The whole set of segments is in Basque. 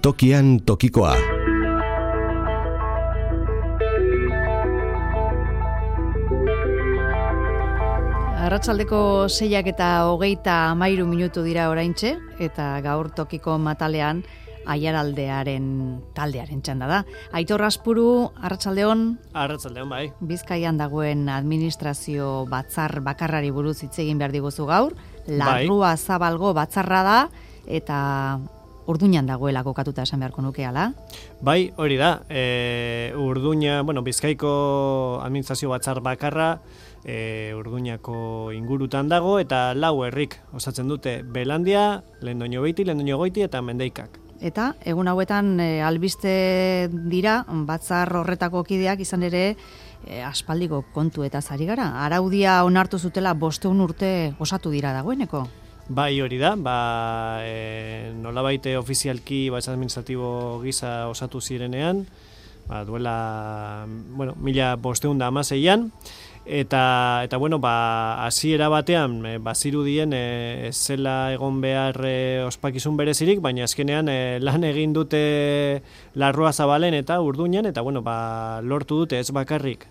Tokian tokikoa. Arratsaldeko 6:23 dira oraintxe, eta gaur tokiko matalean Aiaraldearen taldearen txanda da. Aitor Azpuru, arratsaldeon. Arratsaldeon, bai. Bizkaian dagoen administrazio batzar bakarrari buruz hitz egin behar diguzu gaur. Larrua Zabalgo batzarra da, eta Urduñan dagoela kokatuta esan beharko nuke, ala? Bai, hori da. Urduña, Bizkaiko administrazio batzar bakarra, Urduñako ingurutan dago, eta 4 herrik osatzen dute: Belandia, Lendoñobeiti, Lendoñogoiti eta Mendeikak. Eta egun hauetan albiste dira batzar horretako kideak, izan ere aspaldiko kontu eta zari gara. Araudia onartu zutela 500 urte osatu dira dagoeneko. Bai, hori da. Nolabait ofizialki batzar administratibo gisa osatu zirenean, duela 1516an. Eta hasiera batean bazirudien zela egon behar ospakizun berezirik, baina azkenean lan egin dute Larrua Zabalen eta Urduñan, eta lortu dute ez bakarrik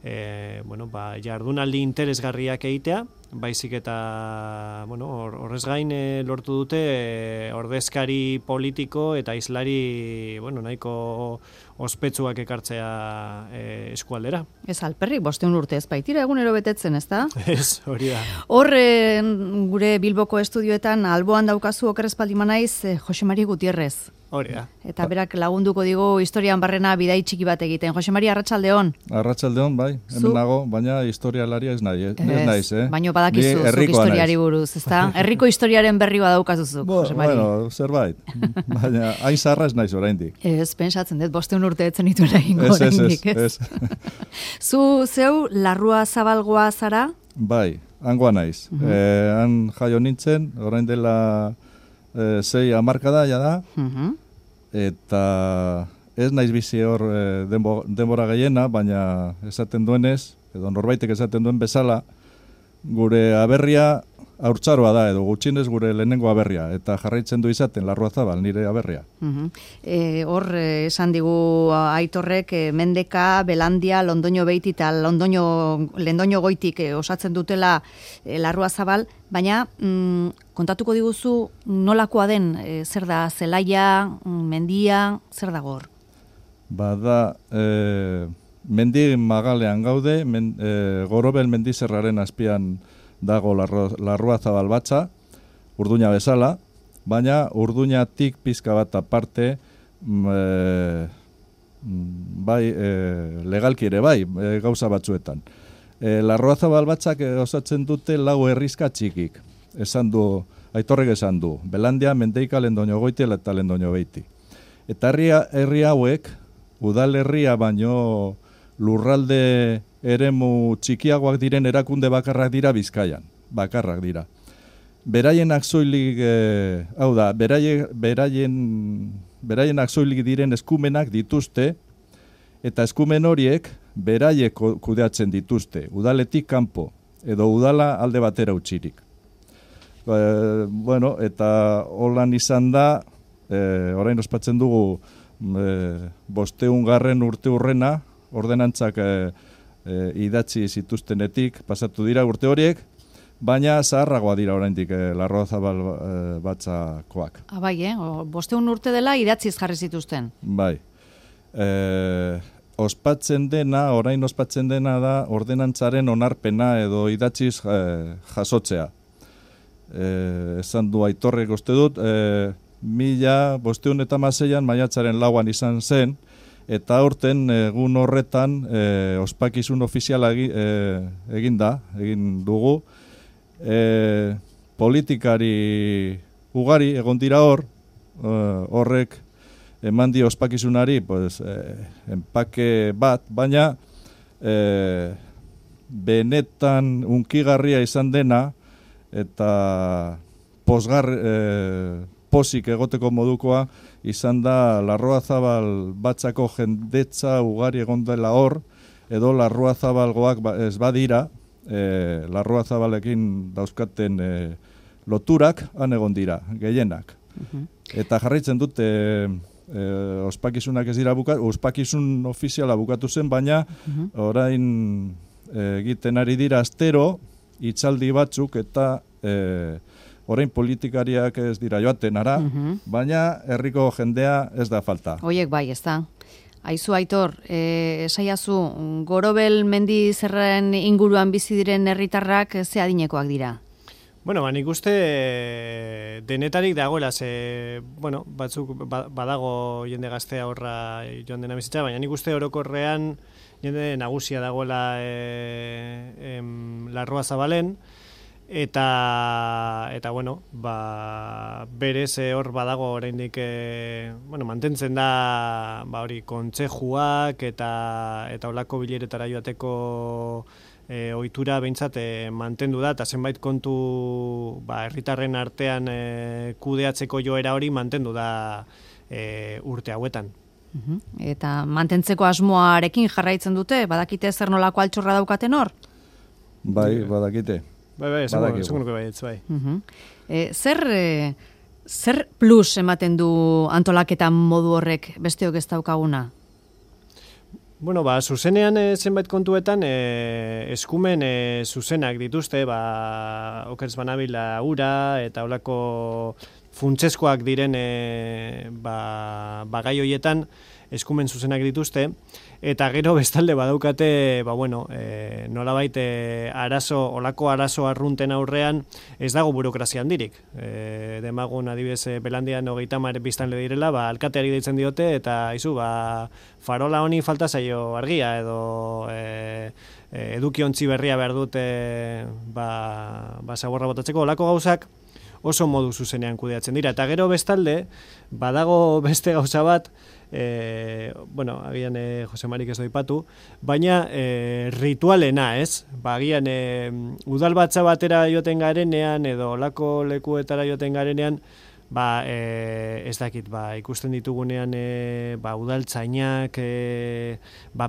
jardunaldi interesgarriak egitea, baizik eta horrez gain lortu dute ordezkari politiko eta hizlari nahiko ospetsuak ekartzea eskualdera. Ez alperrik, 500 urte ez baitira egunero betetzen, ezta? Ez, hori da. Gure Bilboko estudioetan alboan daukazu okerrezpaldima naiz Jose Mari Gutierrez. Hori da. Eta berak lagunduko digu historian barrena bidai txiki bat egiten. Jose Mari, arratsaldeon. Arratsaldeon, bai. Hemen nago, baina historialaria ez naiz, Baina badakizu zuk historiari buruz, ezta? Herriko historiaren berri badaukazuzuk, Jose Mari. Zerbait. Baina hain zarra ez naiz oraindik. Ez, pentsatzen dut 500 urte etzen dituela egingo oraindik, ez? Zeu Larrua Zabalgoa zara? Bai, hangoa naiz. Han jaio nintzen, orain dela 6 hamarkada da, eta ez naiz bizi hor denbora gehiena, baina esaten duenez, edo norbaitek esaten duen bezala, gure aberria haurtzaroa da, edo gutxienez gure lehenengo aberria, eta jarraitzen du izaten Larrua Zabal, nire aberria. Hor, esan digu Aitorrek, Mendeka, Belandia, Londoñobeiti eta Lendoñogoitik osatzen dutela Larrua Zabal, baina kontatuko diguzu nolakoa den, zer da zelaia, mendia, zer da hor? Bada, mendi magalean gaude, Gorobel mendizerraren azpian dago Larrua Zabal batza, Urduña bezala, baina Urduñatik pizka bat aparte, legalki ere bai, gauza batzuetan. Larrua Zabal batzak osatzen dute 4 herrizka txikik, Aitorrek esan du, Belandia, Mendeika, Lendoñogoiti eta Lendoñobeiti. Eta herri hauek, udalerria baino lurralde eremu txikiagoak diren erakunde bakarrak dira Bizkaian, bakarrak dira. Beraienak soilik, beraienak soilik diren eskumenak dituzte, eta eskumen horiek beraiek kudeatzen dituzte, udaletik kanpo, edo udala alde batera utzirik. Eta holan izan da, orain ospatzen dugu 500. urte urrena, ordenantzak idatzi zituztenetik pasatu dira urte horiek, baina zaharragoa dira oraindik Larrua Zabal batzakoak. Bai, 500 urte dela idatziz jarri zituzten. Bai. Orain ospatzen dena da ordenantzaren onarpena edo idatziz jasotzea. Esan du Aitorrek uste dut, 1516an maiatzaren 4 izan zen, eta aurten egun horretan ospakizun ofiziala egin dugu. Politikari ugari egon dira horrek eman dio ospakizunari enpake bat, baina benetan unkigarria izan dena eta posik egoteko modukoa izan da Larrua Zabal batzako jendetza ugari egon dela hor, edo Larrua Zabalgoak ez badira, Larrua Zabalekin dauzkaten loturak han egon dira, gehienak. Eta jarraitzen dute ospakizunak ez dira ospakizun ofiziala bukatu zen, baina orain egiten ari dira astero, hitzaldi batzuk eta orain politikariak ez dira joaten ara, baina herriko jendea ez da falta. Hoiek bai, ez da. Aizu Aitor, esaiazu, Gorobel mendi zerren inguruan bizi diren herritarrak ze adinekoak dira? Bueno, nik uste denetarik dagoela, batzuk badago jende gaztea horra joan dena bizitza, baina nik uste orokorrean jende nagusia dagoela Larrua Zabalen, eta berez hor badago oraindik mantentzen da hori kontzejuak eta holako bileretara joateko ohitura behintzat mantendu da, eta zenbait kontu herritarren artean kudeatzeko joera hori mantendu da urte hauetan. Eta mantentzeko asmoarekin jarraitzen dute, badakite zer nolako altxorra daukaten hor? Bai, badakite. Bai, esango nuke baietz, bai. Zer plus ematen du antolaketan modu horrek besteok ez daukaguna? Bueno, zuzenean zenbait kontuetan eskumen zuzenak dituzte, okerz banabila ura eta holako funtseskoak diren gai hoietan eskumen zuzenak dituzte, eta gero bestalde badaukate, nolabait olako arazo arrunten aurrean ez dago burokrazia handirik. Demagun adibidez Belandian 30 biztanle direla, alkateari deitzen diote, eta farola honi falta zaio argia, edo edukiontzi berria behar dute zaborra botatzeko, olako gauzak oso modu zuzenean kudeatzen dira. Eta gero bestalde, badago beste gauza bat, agian Jose Marik ez doipatu, baina ritualena, ez? Agian udalbatza batera joten garenean, edo olako lekuetara joten garenean, ez dakit, ikusten ditugunean udaltzainak,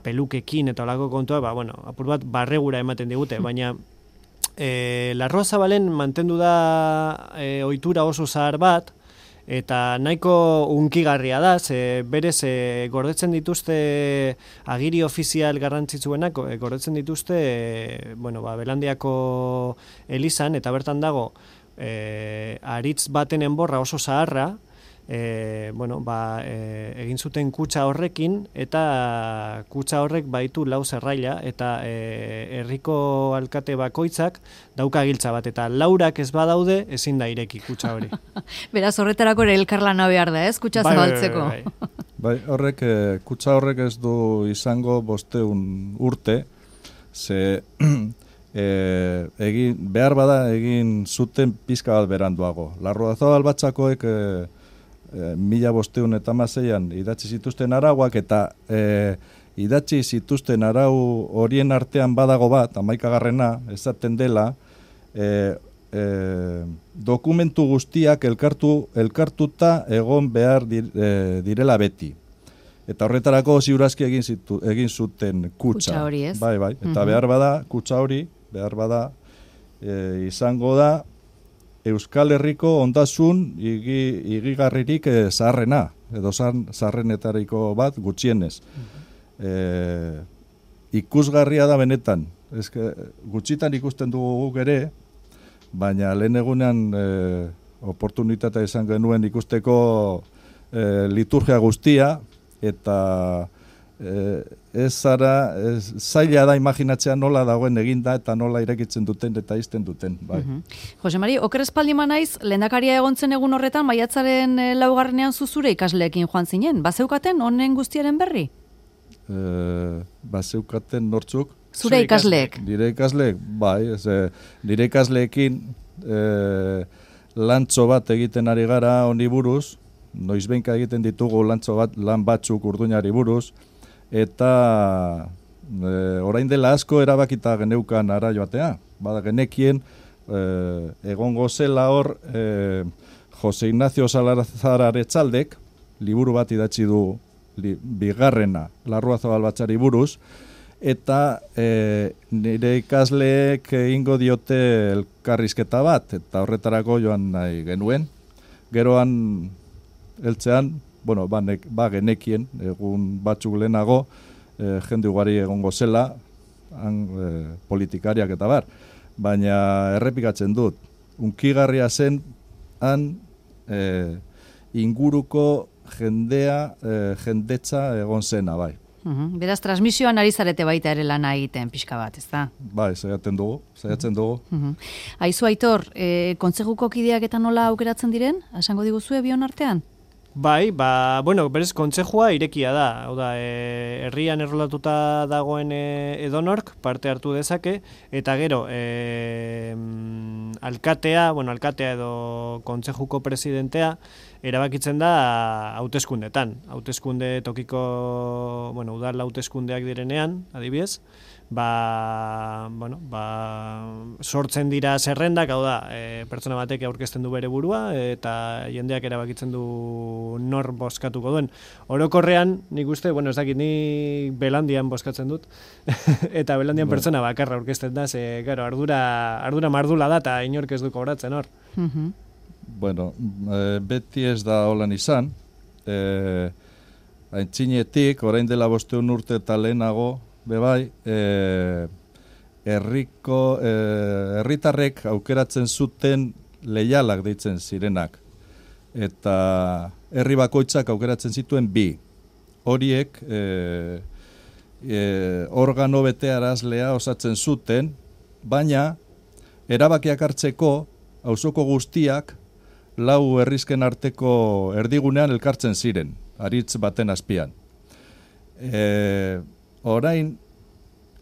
pelukekin eta olako kontua, apur bat barregura ematen digute, baina Larrua Zabalen mantendu da ohitura oso zahar bat, eta nahiko unkigarria da, berez gordetzen dituzte agiri ofizial garrantzitsuenak, gordetzen dituzte Belandiako elizan, eta bertan dago aritz baten enborra oso zaharra, egin zuten kutxa horrekin, eta kutxa horrek baitu 4 zerraila, eta herriko alkate bakoitzak dauka giltza bat, eta 4 ez badaude ezin da ireki kutxa hori. Beraz, horretarako ere elkarlana behar da, ez? Kutxa zabaltzeko. Bai, kutxa horrek ez du izango 500 urte, ze behar bada egin zuten pizka bat beranduago. Larrua Zabal batzakoek 1516an idatzi zituzten arauak, eta idatzi zituzten arau horien artean badago bat, 11garrena, esaten dela, dokumentu guztiak elkartuta egon behar direla beti. Eta horretarako ziurazki egin zuten kutxa hori, ez? Bai, eta behar bada, kutxa hori, izango da Euskal Herriko ondasun igigarririk zaharrena, edo zaharrenetariko bat gutxienez. Ikusgarria da benetan. Gutxitan ikusten dugu guk ere, baina lehen egunean oportunitatea izan genuen ikusteko liturgia guztia, eta zaila da imaginatzea nola dagoen eginda eta nola irekitzen duten eta izten duten. Bai. Jose Mari, oker espaldima naiz, lehendakaria egontzen egun horretan, maiatzaren 4. zuzure ikasleekin joan zinen. Bazeukaten honen guztiaren berri? Bazeukaten nortzuk? Zure ikasleek? Nire ikasleek, bai. Nire ikasleekin lantzo bat egiten ari gara honi buruz, noizbenka egiten ditugu lan batzuk urduñari buruz, eta orain dela asko erabakita geneukan ara joatea. Bada genekien egongo zela hor Jose Ignacio Salazar Aretzaldek liburu bat idatzi du bigarrena Larrua Zabal batzari buruz, eta nire ikasleek egingo diote elkarrizketa bat, eta horretarako joan nahi genuen. Geroan heltzean bueno, ba genekien, egun batzuk lehenago, jende ugari egongo zela, politikariak eta bar. Baina errepikatzen dut, unkigarria zen, inguruko jendetza egon zena, bai. Beraz, transmisioan ari zarete baita ere lana egiten pixka bat, ez da? Bai, saiatzen dugu. Aizu, Aitor, kontzejuko kideak eta nola aukeratzen diren? Esango diguzue bion artean? Bai, bueno, berez kontsejua irekia da. Hau da, herrian errolatuta dagoen edonork parte hartu dezake, eta gero, alkatea edo kontsejuko presidentea erabakitzen da hauteskundetan. Hauteskunde tokiko, udal hauteskundeak direnean, adibidez, sortzen dira zerrendak, hau da, pertsona batek aurkezten du bere burua, eta jendeak erabakitzen du nor bozkatuko duen. Orokorrean, nik uste, ez dakit, ni Belandian bozkatzen dut, eta Belandian pertsona bakarra aurkezten da, ze, gero, ardura mardula da, eta inork ez du kobratzen hor. Bueno, beti ez da holan izan, aintzinetik, orain dela 500 urte eta lehenago, bebai, herritarrek aukeratzen zuten leialak deitzen zirenak. Eta herri bakoitzak aukeratzen zituen 2. Horiek organo betearazlea osatzen zuten, baina erabakiak hartzeko auzoko guztiak 4 herrizken arteko erdigunean elkartzen ziren, aritz baten azpian. Orain,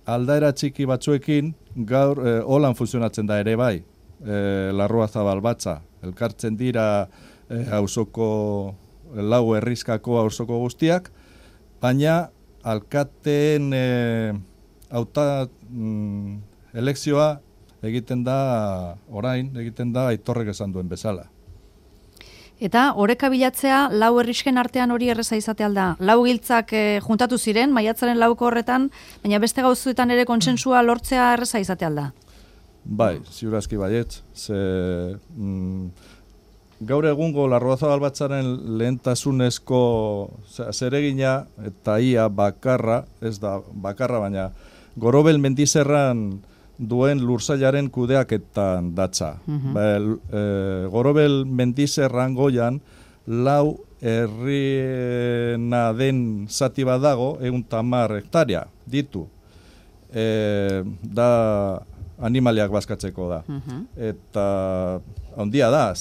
aldaera txiki batzuekin, gaur holan funtzionatzen da ere bai, Larruazabal batza. Elkartzen dira auzoko 4 herrizkako auzoko guztiak, baina alkateen elekzioa egiten da Aitorrek esan duen bezala. Eta oreka bilatzea 4 herrisken artean hori erreza izate alda. 4 giltzak juntatu ziren, maiatzaren 4ko horretan, baina beste gauzuetan ere kontsensua lortzea erreza izate alda. Bai, ziurazki baietz. Gaur egungo Larruazabal batzaren lehentasunezko zeregina eta ia bakarra, ez da bakarra, baina Gorobel mendizerran duen lursailaren kudeaketan datza. Gorobel mendizerran goian 4 herriena den zati bat dago, 110 hektaria ditu. Da animaliak bazkatzeko da. Eta handia da,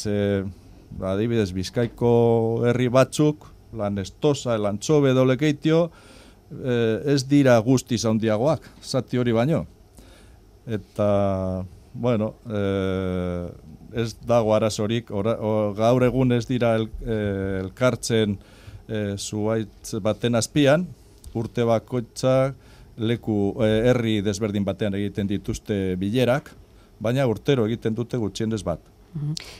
adibidez Bizkaiko herri batzuk, Lanestosa, Elantxobe, Dolekeitio, ez dira guztiz handiagoak, zati hori baino. Eta, ez dago arazorik, gaur egun ez dira elkartzen zuhaitz baten azpian, urte bakoitzak herri desberdin batean egiten dituzte bilerak, baina urtero egiten dute gutxienez bat.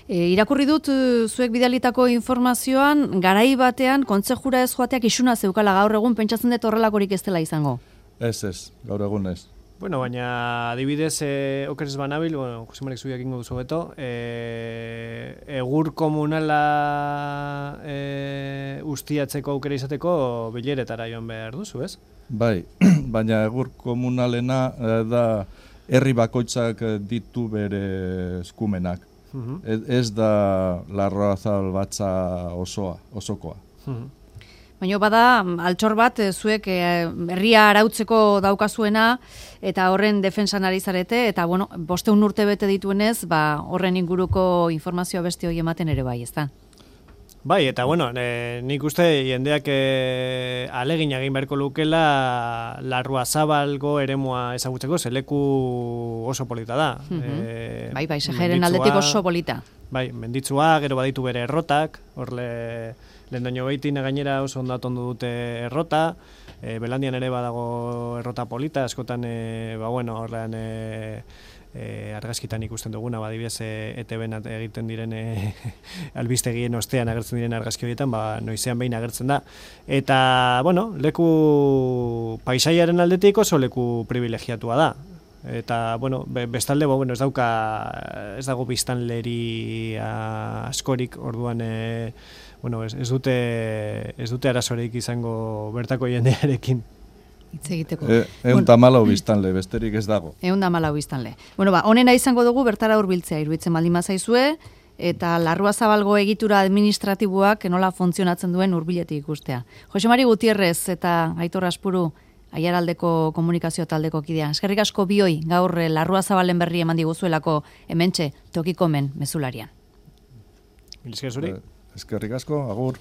Irakurri dut zuek bidalitako informazioan, garai batean kontsejura ez joateak isuna zeukala, gaur egun pentsatzen dut horrelakorik ez dela izango? Ez, gaur egun ez. Baina adibidez, okerez banabil, Josimarek zubiak ingo duzu beto, egur komunala ustiatzeko aukera izateko bileretara joan behar duzu, ez? Bai, baina egur komunalena da herri bakoitzak ditu bere eskumenak. Ez da Larruazabal batza osokoa. Baina bada, altxor bat, zuek herria arautzeko daukazuena, eta horren defensan ari zarete, eta 500 urte bete dituenez, horren inguruko informazioa beste hori ematen ere bai, ez da? Bai, eta nik uste jendeak alegin egin beharko lukela Larruazabalgo eremua ezagutzeko, zeleku oso polita da. Bai, Sejeren aldetik oso polita. Bai, menditzua, gero baditu bere errotak, Lendoño Beitin gainera oso ondo atondu dute errota, Belandian ere badago errota polita, askotan, horrean argazkitan ikusten duguna, adibidez ETB-n egiten diren albistegien ostean agertzen diren argazki horietan, noizean behin agertzen da. Eta, leku paisaiaren aldetik oso leku privilegiatua da. Eta, bestalde, ez dago biztanleri askorik, orduan, bueno, ez dute arazoreik izango bertako jendearekin. Hitz egiteko. 114 biztanle, besterik ez dago. 114 biztanle. Bueno, onena izango dugu bertara hurbiltzea, iruditzen baldin bazaizue, eta Larruazabalgo egitura administratiboak nola funtzionatzen duen hurbiletik ikustea. Jose Mari Gutierrez eta Aitor Aspuru, Aiaraldeko komunikazio taldeko kidea. Eskerrik asko bioi gaur Larruazabalen berri eman diguzuelako hementxe tokikomen mezularian. Eskerrik asko, agur.